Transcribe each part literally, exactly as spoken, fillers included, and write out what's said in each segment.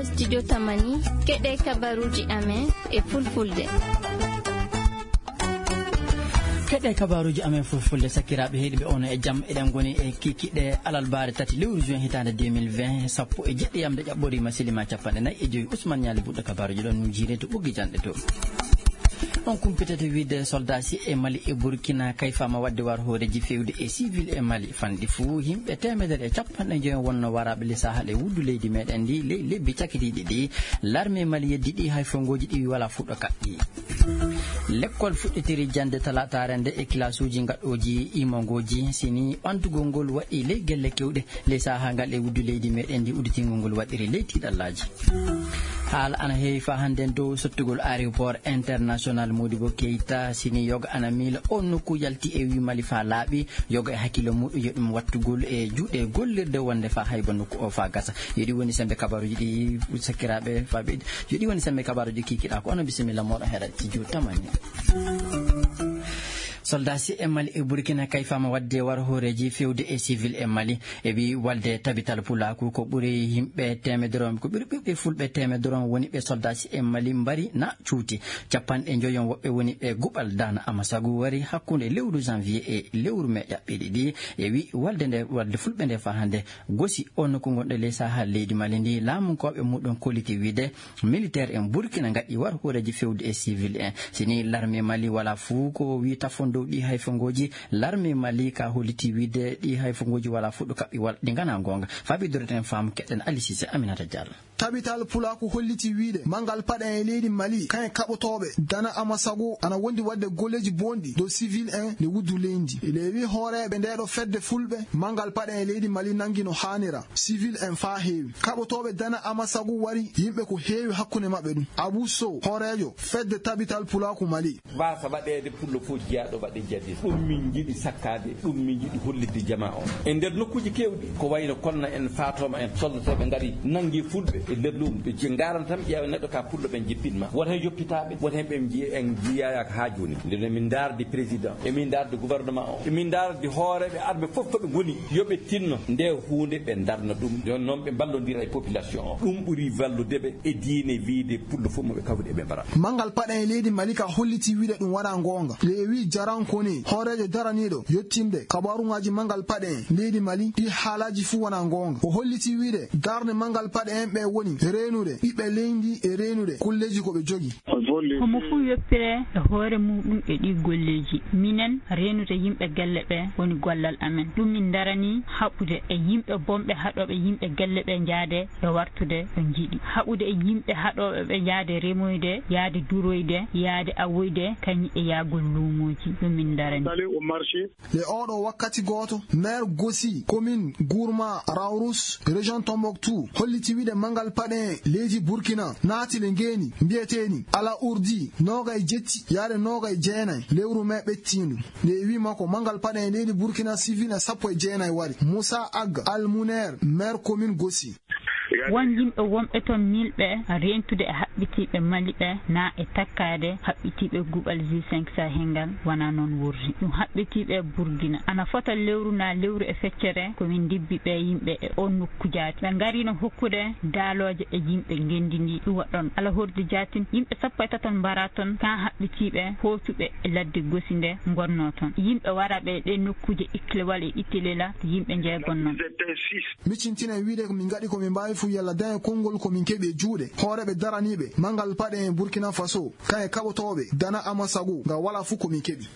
Studio Tamani, keɗe kabaruji amen e fulfulde. Keɗe kabaruji amen fulfulde, sakiraaɓe heɗiɓe, ono e jam. Eɗen ngoni e kikiɗe alalbaare tati lewru juin hitaande deux mille vingt, sappo e jeɗɗi yamde ƴaɓɓoriima, silima capanɗe nayi e joyi. Ousmane Ñaali Buɗɗo kabaruji ɗon no jiire to ɓoggi janɗe to. On kumpitete wiide soldat si e Mali e Burkina kayfama wadde war hooreji fewde e civil e Mali. Fanɗi fuu yimɓe teemedere e capanɗe joyi wonno waraɓe le sahal e wuddu leydi meɗen ndi ley lebbi cakitiɗi ɗi. Larme Mali yeddi ɗi hay fongoji ɗi wala fuɗɗo kaɓɓi. Lekkol fuɗɗitiri jande talatare nde e kilasuji gaɗɗoji imongoji, sini ɓantugol ngol waɗi ley gelle kewɗe ley saha ngal e wuddu leydi meɗen ndi. Udditingol ngol waɗiri ley tiɗallaji. Haala ana heewi fa hannden dow sottugol aéroport international Modibo Keita. Sini yoga ana miila on nokku yalti e wi Mali fa laaɓi, yoga e hakkillo muɗum yo ɗum wattugol e juuɗe gollirde wonde fa hayba nokku o fa gasa. Yo ɗi woni sembe kabaruji ɗi, sakiraaɓe faɓe, yo ɗi woni sembe kabaruji kikiɗa ko. Ono bisimilla moɗo heɗa ci juuɗe tamani. Soldat si e Mali e Burkina kayfama wadde war hooreji fewde e civil e Mali. E wi walde tabital pulaku ko ɓuri yimɓe temedoron, ko ɓuri ɓiɓɓe fulɓe temedoron woni ɓe soldat si e Mali mbari na cuuti. Capanɗe joyon woɓɓe woni ɓe guɓal dana amasagu wari hakkunde lewru janvier e lewru mai ƴaɓɓiɗi ɗi. E wi walde nde, walde fulɓe nde fa hande gosi on nokku gonɗo ley sahal leydi Mali ndi laamunkoɓe muɗum kolliti wiide militaire en Burkina ngaɗi war hooreji fewde e civil en. Sini larme Mali wala fuu ko wi tafon dow ɗi hayfongoji. Larme Mali ka holliti wiide ɗi hayfongoji wala fuu ɗo kaɓɓi wala ɗi ngana gonga. Fabi doreten faamu keɗen Ali Cissé, Aminata Diallo. Tabital pulaku holliti wiide mangal paɗe e leydi Mali kayen kaɓotooɓe dana amasago ana wondi wadde golleji bonɗi dow civil en nde wuddu leydi. Lewi hooreɓe nde ɗo fedde fulɓe mangal paɗe e leydi Mali nangi no haanira. Civil en fa heewi. Kaɓotooɓe dana amasagu wari yimɓe ko heewi hakkunde maɓɓe ɗum. Abou Sow, hooreejo fedde tabital pulaaku Mali. Waasa waɗeede pullo fof jeyaaɗo waɗe jadis. Ɗum min njiɗi sakkaade, ɗum min njiɗi hollitde jamaa on. E nder nokkuuji keewɗi, ko wayno Konna en, Faatooma en, soldateeɓe ngari, nanngi fulɓe e nder luumo. Ɓe je-, ngaran tan ƴeewa neɗɗo ka pullo ɓen jippin ma. Wota en yoppitaaɓe, wota en ɓe njiya, en njiyaaka haa jooni. Nde min ndaardi président, emin ndaardi gouvernement o, emin ndaardi hooreeɓe armée fof to ɓe ngoni, yo ɓe tinno nde huunde ɓe ndarna ɗum. Jooni noon ɓe mballondira e population o. Ɗum ɓuri wallude ɓe e diine wiyde pullo fof mo ɓe kawri eɓe mbara. Mangal paɗe e leydi Mali ka holliti wiide ɗum wona goonga. Lewi Jarankoni, hooreejo daraniiɗo yettinde kabaruŋaaji mangal paɗe en leydi Mali, ɗi haalaaji fuu wona goonga. O holliti wiide darnde mangal paɗe en ɓe woni reenude ɓiɓɓe leydi e reenude kulleeji ko ɓe jogi. Homo fuu yoppire e hoore muuɗum e ɗii golleeji. Minen, reenude yimɓe galle ɓe woni gollal amen. Ɗum min ndaranii haɓude e yimɓe bonɓe haɗooɓe yimɓe galle ɓe njaade e wartude ɗo njiɗi. Haɓude e yimɓe haɗooɓe ɓe njaade remoyde, yaade duroyde, yaade awoyde, kañum e yaagol luumooji. Ɗum min ndaranii. Le oɗo wakkati gooto, maire Gossi, commune Gourma Raourous, région Tombouctou, holliti wiide mangal paɗe leydi Burkina naati le ngeeni mbiyeteeni Ala Urdi, noogay jetti yaade noogay jeenay lewru mai ɓettiindu. Nde wi makko mangal paɗe leydi Burkina civil e sappo e jeenay wari. Moussa Ag Al Mouner, maire commune Gossi. Won yimɓe wonɓe toon miilɓe reentude e haɓɓitiiɓe Mali ɓe, naa e takkaade haɓɓitiiɓe guɓal G cinq Sahel ngal, wonaa noon wuurdi. Ɗum haɓɓitiiɓe Burkina. Ana fota lewru naa lewru e feccere ko min ndibbi ɓe yimɓe e oon nokku jaati. Ɓe ngariino hokkude daalooje e yimɓe ngenndi ndi ɗum waɗɗon. Ala hordi jaatin, yimɓe sappo e taton mbaraa toon, kaa haɓɓitiiɓe hoocuɓe e ladde Gosi nde ngonnoo toon. Yimɓe waraaɓe e ɗee nokkuuje Iklewal e Itelela, yimɓe njeegon noon. Miccintinen wiide ko min ngaɗi ko min mbaawi fuu yalla daña konngol ko min keɓi e juuɗe hooreeɓe daraniiɓe mangal paɗe en Burkina Faso, kaye kaɓotooɓe dana Amasagu nga wala fuu ko min keɓi.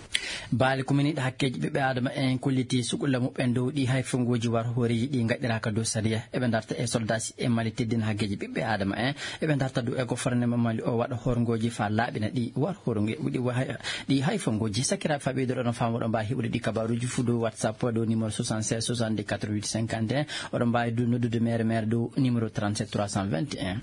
Baali ko min yiɗi hakkeeji ɓiɓɓe Aadama en kolliti sukulla muɓɓen dow ɗi hay fonngoji war hooreeji ɗi ngaɗiraaka dow sariya. Eɓe darta e soldaaji e Mali teddina hakkeeji ɓiɓɓe Aadama en. Eɓe darta dow e gofornema Mali o waɗa horngoji faa laaɓina ɗi war hornge-, ɗi wa-, ɗi hay fonngoji. Sakiraaɓe faa ɓeydoɗon no faamu, oɗon mbaawi heɓude ɗi kabaruji fuu dow WhatsApp dow numéro soixante-seize soixante-deux quatre-vingt-huit cinquante et un. Oɗon mbaawi du noddude mere mere dow numéro trente-sept trois cent vingt et un.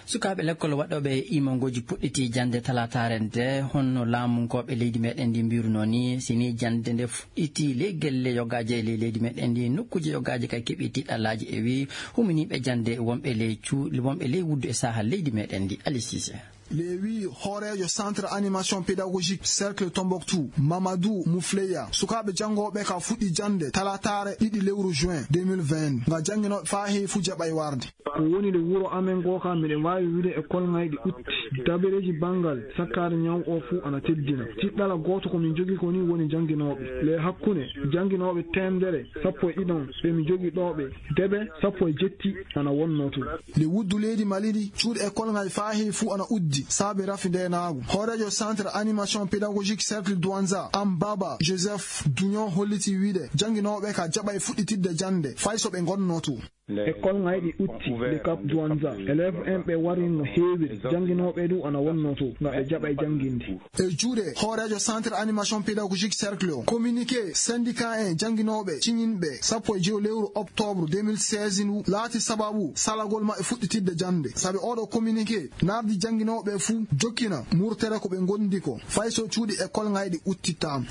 Sukaaɓe lekkol waɗooɓe imangoji puɗɗiti jannde talaataare nde, honno laamunkooɓe leydi meɗen ndi mbirunoo ni, si ni jannde nde fuɗɗiti ley gelle yogaaje e ley leydi meɗen ndi, nokkuuje yogaaje kay keɓi tiɗallaaji e wi huminiiɓe jannde wonɓe ley cu-, wonɓe ley wuddu e saha leydi meɗen ndi. Ali Sise. Lewi hooreejo Centre Animation Pédagogique Cercle Tombouctou, Mamadou Moufleya, sukaaɓe janngooɓe ka fuɗɗi jannde talataare ɗiɗi lewru juin deux mille vingt, nga jannginooɓe faa heewi fuu jaɓay warde. Ko woni le wuro amen ngoo ka, miɗen waawi wiide école ŋayɗi utti. Dabareeji banngal sakkaade ñaw oo fuu ana teddina. Tiɗɗala gooto ko min njogii ko nii woni jannginooɓe. Le hakkunde jannginooɓe teemedere sappo e ɗiɗon ɓe mi jogii ɗoo ɓe, debe sappo e jetti ana wonnoo tun. Le wuddu leydi Mali ndi, cuuɗi école ŋay faa heewi fuu ana uddi saabe rafi ndeenaagu. Hooreejo Centre Animation Pédagogique Cercle Douanza, Ambaba Joseph Dugnon, hollitii wiide jannginooɓe ka jaɓay fuɗɗitidde jannde fay so ɓe ngonnoo tun. École ŋayɗi utti le Cap Douanza. Élève en ɓe warin no heewiri. Jannginooɓe du ana wonnoo tun nga ɓe jaɓay jannginde. E juuɗe hooreejo Centre Animation Pédagogique Cercle o, communiqué syndicat en jannginooɓe ciñinɓe sappo e joy lewru octobre deux mille seize ndu laati sababu salagol maɓɓe fuɗɗitidde jannde. Sabi ooɗoo communiqué nardi jannginooɓe fuu jokkina murtere ko ɓe ngondi ko, fay so cuuɗi école ŋayɗi uttittaama.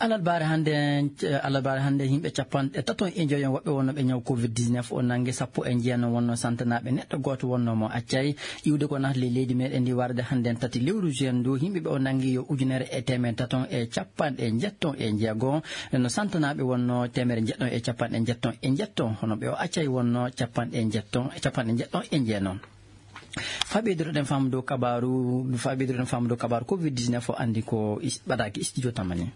Alarbaare hannde, alarbaare hannde, yimɓe capanɗe tato e njoyo woɓɓe wonnooɓe ñaw covid dix-neuf o nanngi, sappo e njeeno wonnoo santanaaɓe, neɗɗo gooto wonnoo mo accay. Iwde ko naatde leydi meɗen ndi warde hannde tati lewru juin ndu, yimɓe ɓe o nanngi yo ujunere e teemedde tato e capanɗe njeɗɗo e njeego, no santanaaɓe wonnoo teemedde njeɗɗo e capanɗe njeɗɗo e njeɗɗo, hono ɓe o accay wonnoo capanɗe njeɗɗo, capanɗe njeɗɗo e njeeno. Faa ɓeydotoɗen faamu dow kabaaru, faa ɓeydotoɗen faamu dow kabaaru covid dix-neuf o, anndi ko is-, ɓadaaki studio Tamani.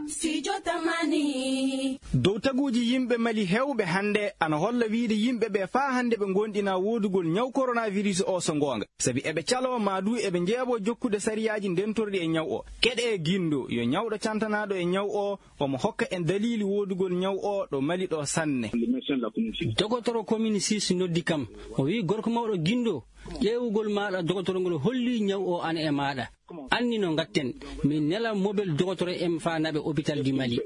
Studio Tamani. Dow taguuji yimɓe Mali heewɓe hannde ana holla wiide yimɓe ɓe faa hannde ɓe ngoonɗinaa woodugol ñaw coronavirus o so ngoonga. Sabi eɓe caloo maa duu eɓe njeeɓoo jokkude sariyaaji ndentorɗi e ñaw o. Keɗee Gindo, yo ñawɗo cantanaaɗo e ñaw o, omo hokka en daliili woodugol ñaw o ɗo Mali ɗo sanne. Dogotoro commune six noddi kam. O wi'i, "Gorko mawɗo Gindo, ƴeewugol maaɗa dogotoro ngol holli ñaw o ana e maaɗa. Anni no ngatten, min nela mobel dogotoro en faa naɓe hôpital du Mali."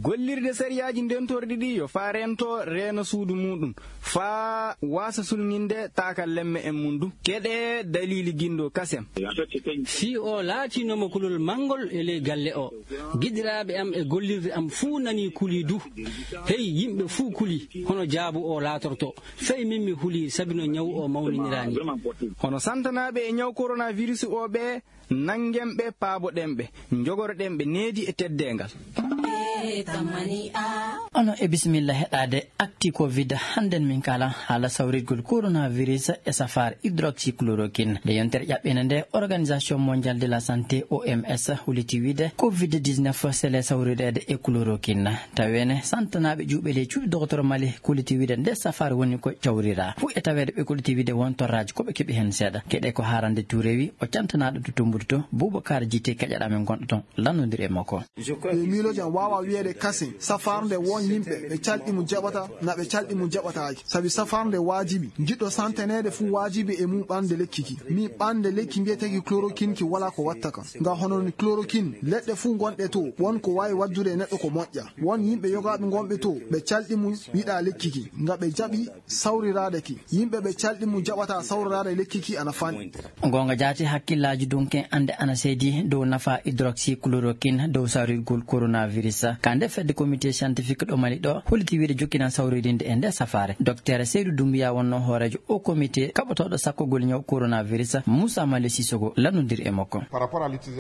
Gollirde sariyaaji ndentorɗi ɗi yo faa reento reena suudu muuɗum, faa waasa sulŋinde taakallemme en mum du. Keɗee daliili Gindo kasen. Fii o laatinooma kulol manngol e ley galle o. Giɗiraaɓe am e gollirde am fuu nanii kulii du. Hey, yimɓe fuu kulii, hono jaabu o laatorto. Fey min mi hulii sabi no ñaw o mawniniraani. Hono santanaaɓe e ñaw coronavirus o ɓe, nanngen ɓe, paaboɗen ɓe, njogoroɗen ɓe needi e teddeengal. Ono e bisimilla heɗaade Actu Covid. Hannden min kaala haala sawritgol coronavirus e safaare hydroxychloroquine. Nde yontere ƴaɓɓiinde nde, Organisation Mondiale de la Santé, O M S, huliti wiide covid dix-neuf sele sawrireede e chloroquine. Taweene santanaaɓe ƴuuɓe ley cuuɗi dogotoro Mali kuliti wiide nde safaare woni ko cawrira. Fuu e taweede ɓe kuliti wiide won torraaji ko ɓe keɓi heen seeɗa. Keɗe ko Haarande Tuure wi, o cantanaaɗo to Tumbudi to, Boubacar Jité keƴaɗa men gonɗo toon, lannondir e makko. E miilooji am, waawa wiyeede kasen safaare nde won yimɓe ɓe calɗi mo jaɓata, na ɓe calɗi mo jaɓataaki. Sabi safaare nde waajibi, jiɗɗo santaneede fuu waajibi e mum ɓande lekki ki. Mi ɓande lekki mbiyeteeki chloroquine ki walaa ko watta kam. Nga hono ni chloroquine, leɗɗe fuu gonɗe to, won ko waawi waddude e neɗɗo ko moƴƴa. Won yimɓe yogaaɓe gonɓe to, ɓe calɗi mum yiɗa lekki ki. Nga ɓe jaɓi sawriraade ki. Yimɓe ɓe calɗi mum jaɓata sawriraade lekki ki ana fanɗi. Goonga jaati, hakkillaaji dunke annde ana seedi dow nafa hydroxychloroquine dow sawrirgol coronavirus. Ka nde fedde comité scientifique ɗo Mali ɗo, holliti wiide jokkinan sawririnde e nde safaare. Docteur Seydou Doumbouya wonno hooreejo o comité kaɓotooɗo sakkugol ñaw coronavirus. Moussa Mali Sissoko lannondir e makko.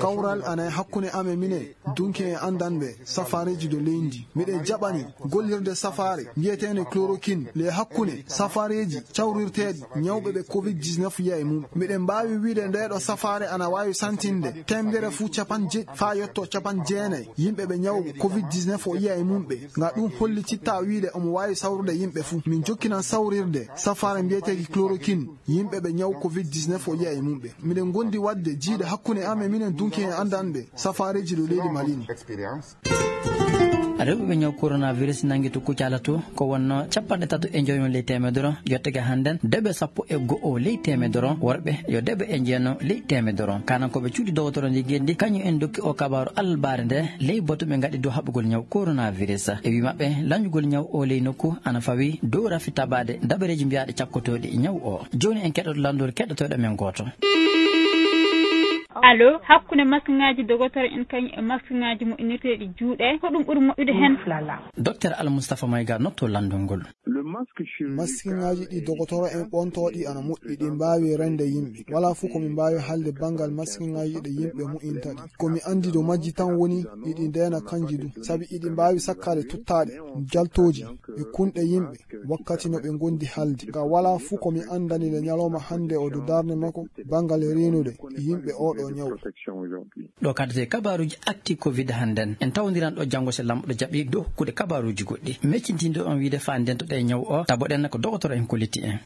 Kawral ana e hakkunde amen minen, dunke en anndanɓe safaareeji dow leydi. Miɗen jaɓani gollirde safaare mbiyeteende chloroquine le hakkunde safaareeji cawrirteeɗi ñawɓe ɓe covid dix-neuf yiya e mum. Miɗen mbaawi wiide ndeeɗo safaare ana waawi santinde teemedere fuu capanɗe jeɗɗi faa yotto capanɗe jeenayi yimɓe ɓe ñaw covid dix-neuf o yiya e mum ɓe. Nga ɗum hollititta wiide omo waawi sawrude yimɓe fuu. Min jokkinan sawrirde safaare mbiyeteeki chloroquine yimɓe ɓe ñaw covid dix-neuf o yiya e mum ɓe. Miɗen ngondi waɗde jiiɗe hakkunde am e minen dunki en anndanɓe safaareeji ɗo leydi Mali ni. Rewɓe ɓe ñaw coronavirus nangi to Kucala to, ko wonno capanɗe tato e njoyo ley teemedere, yottake hannden debe sappo e go'o ley teemedere, worɓe yo debe e njeeno ley teemedere. Kanankooɓe cuuɗi dogotoro ndi ngenndi, kañum en dokki o kabaaru alarbaare nde, ley batu ɓe ngaɗi dow haɓugol ñaw coronavirus. E wii maɓɓe, lañugol ñaw o ley nokku ana fawi dow rafi tabaade dabareeji mbiyaaɗi cakkotooɗi ñaw o. Jooni en keɗoto lanndol keɗotooɗo men gooto. Allo, hakkunde maskiŋaaji dogotoro en kañum e maskiŋaaji moƴƴinirteeɗi juuɗe, ko ɗum ɓuri moƴƴude heen? Docteur Almustafa Mayga notto lanndol ngol. Maskiŋaaji ɗi dogotoro en ɓontooɗi ana moƴƴi, ɗi mbaawi rende yimɓe. Walaa fof ko mi mbaawi haalde banngal maskiŋaaji ɗi yimɓe moƴƴinta ɗi. Ko mi anndi dow majji tan woni iɗi ndeena kanji du, sabi iɗi mbaawi sakkaade tuttaaɗe, jaltooji e kunɗe yimɓe wakkati no ɓe ngondi halde. Ka walaa fof ko mi anndani nde ñalawma hannde o dow darnde makko banngal reenude yimɓe oo ɗoo ñaw. Ɗo kaddete kabaaruuji actu covid hannden. En tawndiran ɗo janngo so Laamɗo jaɓi dow hokkude kabaaruuji goɗɗi. Meccintinɗo on wiide faa ndento ɗe ñaw o, taboɗen ko dogotoro en kolliti en.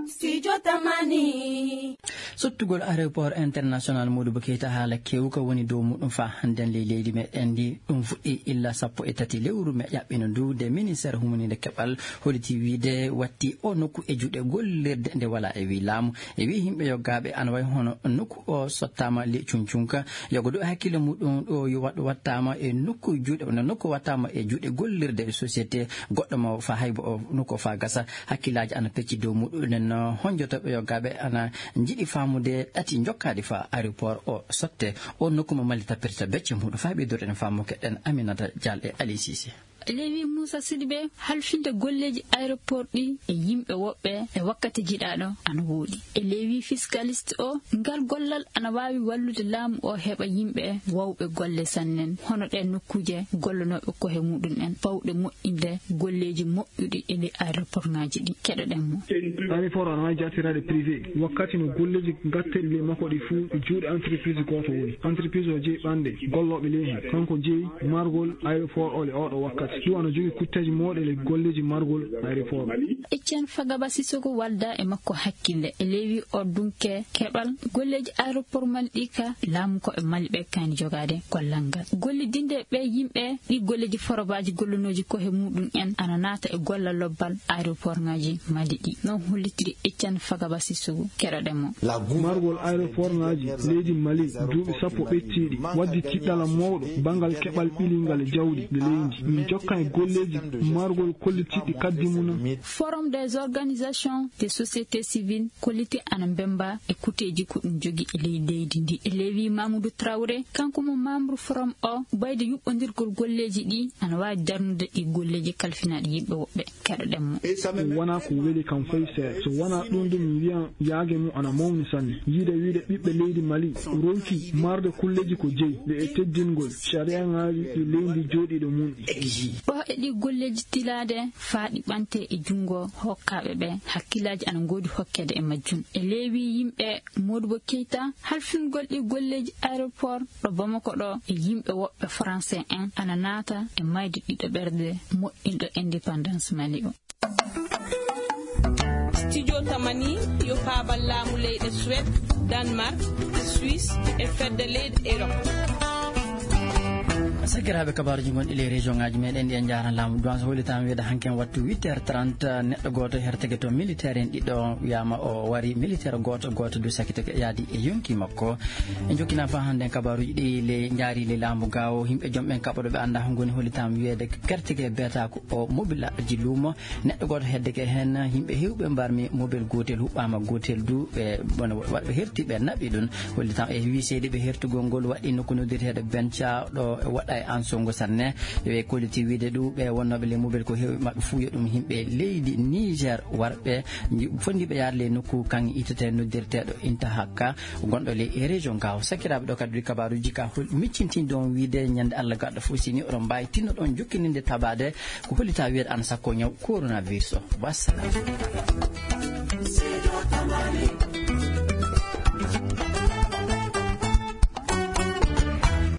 Studio Tamani. Sottugol aéroport international Modibo Keita haala kewka woni dow muɗum faa hannden ley leydi meɗen ndi. Ɗum fuɗɗi illa sappo e tati lewru me ƴaɓɓino ndu, nde ministère humaninde keɓal holliti wiide watti o nokku e juuɗe gollirde nde walaa e wii laamu. E wii yimɓe yoggaaɓe ana wayi hono nokku o sottaama le cuncunka. Yogo ɗo hakkille muɗum ɗo yo waɗ-, wattaama e nokku juuɗe, no nokku wattaama e juuɗe gollirde e société goɗɗo mo faa haybo o nokku o faa gasa. Hakkillaaji ana pecci dow muɗum. Nden no honjotooɓe yoggaaɓe ana njiɗi faamude ɗati jokkaaɗi faa aéroport o sotte. O nokku mo Mali tappirta becce muɗum. Faa ɓeydude en faamu keɗen Aminata Dial e Ali Cissé. Lewi Moussa Sidibé, halfinde golleeji aéroport ɗi e yimɓe woɓɓe e wakkati jiɗaaɗo ana woɗi. E lewi fiscaliste o, ngal gollal ana waawi wallude laamu o heɓa yimɓe wawɓe golle sannen, hono ɗen nokkuuje gollanooɓe kohe muɗum en, pawɗe moƴƴinde golleeji moƴƴuɗi e ley aéroport ŋaaji ɗi. Keɗoɗen mo. Aéroport ana waawi jaatiraade privé. Wakkati no golleeji ngatteeɗi ley makko ɗi fuu, juuɗe entreprise gooto woni. Entreprise o jeyi ɓanɗe gollooɓe ley heen. Kanko jeyi margol aéroport o le oɗo wakkati. Ɗum ana jogii kutteeji mawɗe le golleeji margol aéroport. Etienne Fagaba Sissoko walda e makko hakkille. E lewi o dunke keɓal golleeji aéroport Mali ɗi ka laamu ko e Mali ɓe kani jogaade gollal ngal. Gollidinde ɓe yimɓe ɗi golleeji forobaaji gollanooji kohe muɗum en ana naata e gollal lobbal aéroport ŋaaji Mali ɗi. Non hollitiri Etienne Fagaba Sissoko. Keɗoɗen mo. Margol aéroport ŋaaji leydi Mali duuɓi sappo ɓettiiɗi waddi tiɗɗala mawɗo banngal keɓal ɓilingal e jawdi e leydi. Min jokka e golleeji margol kollitiiɗi kaddi mum. Forum des organisations de société civile kolliti ana mbemba e kuteeji ko ɗum jogi e ley leydi ndi. E lewi Mamadou Traoré, kanko mo membre forum o, bayde yuɓɓondirgol golleeji ɗi ana waawi darnude ɗi golleeji kalfinaaɗi yimɓe woɓɓe. Keɗoɗen mo. Wonaa ko weli kam fay seeɗa. So wonaa ɗum, ɗum mi wiyan yaage mum ana mawni sanne. Yiide wiide ɓiɓɓe leydi Mali ronki marde kulleeji ko jeyi ɓe e teddingol sariyaŋaaji ɗi leydi jooɗiiɗo mum ɗi. Ɗo e ɗi golleeji tilaade faa ɗi ɓante e junngo hokkaaɓe ɓe, hakkillaaji ana ngoodi hokkeede e majjum. E leewi yimɓe Modibo Keita, halfingol ɗi golleeji aéroport ɗo Bamako ɗo e yimɓe woɓɓe français en ana naata e mayde ɗiɗo ɓerɗe moƴƴinɗo indépendance Mali o. Studio Tamani yo paabal laamu leyɗe Suède, Danemark, Suisse e fedde leyɗe Europe. Sakiraaɓe, kabaaruuji ngonɗi ley région ŋaaji meɗen ɗi en njaara laamu. Duwan so hollitaama wiyeede hanki en wattu huit heures trente, neɗɗo gooto herteke to militaire en ɗiɗo wiyaama o wari militaire gooto, gooto du sakitake yaadi e yonki makko. En jokkinaa faa hannden kabaaruuji ɗi ley njaari ley laamu gaawo. Yimɓe jom ɓen kaɓoɗo ɓe anndaa ko ngoni hollitaama wiyeede kerteke beetaako o mobilaaji luumo. Neɗɗo gooto heddeke heen, yimɓe heewɓe mbarmi mobel gootel huɓɓaama gootel du, ɓe, bon, waɗɓe herti ɓe naɓi ɗum. Hollitaama e wii seydi ɓe hertugol ngol waɗi nokku noddirteeɗo Benca ɗo waɗa e Ansongo sanne. Ɓe kolliti wiide ɗu ɓe wonnooɓe ley mobel ko heewɓe maɓɓe fuu yo ɗum yimɓe leydi Niger warɓe fondiiɓe yaade ley nokku kaŋŋe itetee noddirteeɗo Intahaka gonɗo ley e région Gao. Sakiraaɓe, ɗo kadi kabaaruuji ka hol miccintinɗo on wiide ñande Allah gaɗɗo fof, si ni oɗon mbaawi tinnoɗon jokkininde tabaade ko hollitaa wiyeede ana sakko ñaw coronavirus o. Wassalam.